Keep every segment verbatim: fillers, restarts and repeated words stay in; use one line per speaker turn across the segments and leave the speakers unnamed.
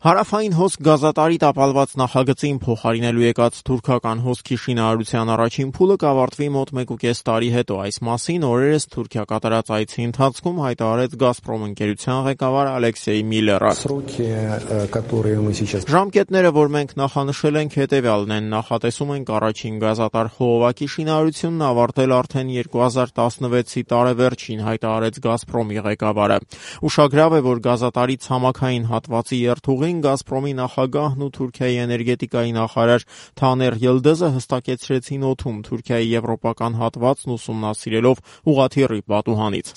Հարավային հոսք գազատարի տապալված նախագծին փոխարինելու եկած թուրքական հոսքի շինարարության առաջին փուլը կավարտվի մոտ մեկուկես տարի հետո։ Այս մասին օրերս Թուրքիա կատարած այցի ընթացքում հայտարարեց «Գազպրոմ» ընկերության ղեկավար Ալեքսեյ Միլլերը։ Ժամկետները, որ մենք նախանշել ենք, հետևյալն են. նախատեսում ենք առաջին գազատար խողովակի շինարարությունն ավարտել արդեն երկու հազար տասնվեցի տարեվերջին, հայտարարեց «Գազպրոմի» ղեկավարը։ Ուշագրավ է, որ գազատարի ցամաքային հատվածի երթուղին «Գազպրոմի» նախագահն ու Թուրքիայի էներգետիկայի նախարար Թաներ Յիլդիզը հստակեցրեցին օդում Թուրքիայի եվրոպական հատվածն ուսումնասիրելով ուղղաթիռի պատուհանից։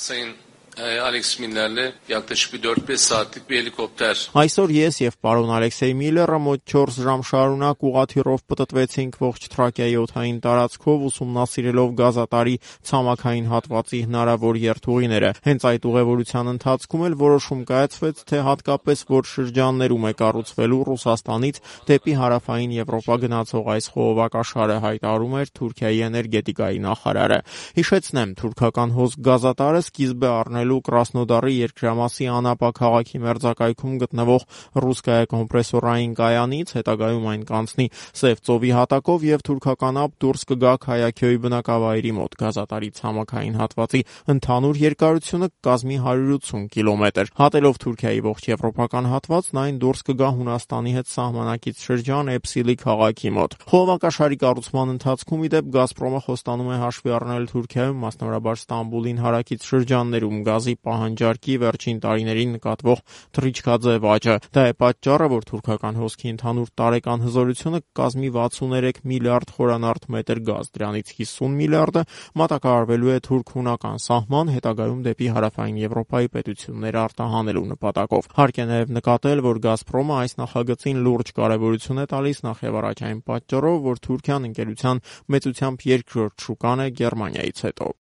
Այսօր ես եւ պարոն Ալեքսեյ Միլլերը մոտ չորս ժամ շարունակ ուղղաթիռով պտտվեցինք ողջ Թրակիայի օդային տարածքով, ուսումնասիրելով գազատարի ցամաքային հատվածի հնարավոր երթուղիները։ Հենց այդ ուղևորության ընթացքում էլ որոշում կայացվեց, թե հատկապես որ շրջաններում է կառուցվելու Ռուսաստանից դեպի հարավային Եվրոպա գնացող այս խողովակաշարը, հայտարարում էր Թուրքիայի էներգետիկայի նախարարը։ Հիշեցնեմ, թուրքական հոսք գազատարը սկիզբ է առնել Կրասնոդարի երկրամասի Անապա քաղաքի մերձակայքում գտնվող ռուսկայա կոմպրեսորային կայանից, հետագայում այն կանցնի Սև ծովի հատակով եւ թուրքական ափ դուրս կգա Քայաքյոյի բնակավայրի մոտ։ Գազատարի ցամաքային հատվածի ընդհանուր երկարությունը կկազմի հարյուր ութսուն կիլոմետր։ Հատելով Թուրքիայի ողջ եվրոպական հատվածն, այն դուրս կգա Հունաստանի հետ սահմանակից շրջան Էփսիլի քաղաքի մոտ։ Խողովակաշարի կառուցման ընթացքում, ի դեպ, «Գազպրոմը» խոստանում է հաշվի առնել Թուրքիայում, մասնավորաբար Ստամբուլին հարակից շրջաններում գազի պահանջարկի վերջին տարիներին նկատվող թռիչքաձև աճը։ Դա է պատճառը, որ թուրքական հոսքի ընդհանուր տարեկան հզորությունը կկազմի վաթսուններեք միլիարդ խորանարդ մետր գազ, դրանից հիսուն միլիարդը մատակարարվելու է թուրք-հունական սահման, հետագայում դեպի հարավային Եվրոպայի պետությունները արտահանելու նպատակով։ Հարկ է նաև նկատել, որ «Գազպրոմը» այս նախագծին լուրջ կարևորություն է տալիս նախ եւ առաջ այն պատճառով, որ Թուրքիան ընկերության մեծությամբ երկրորդ շուկան է Գերմանիայից հետո։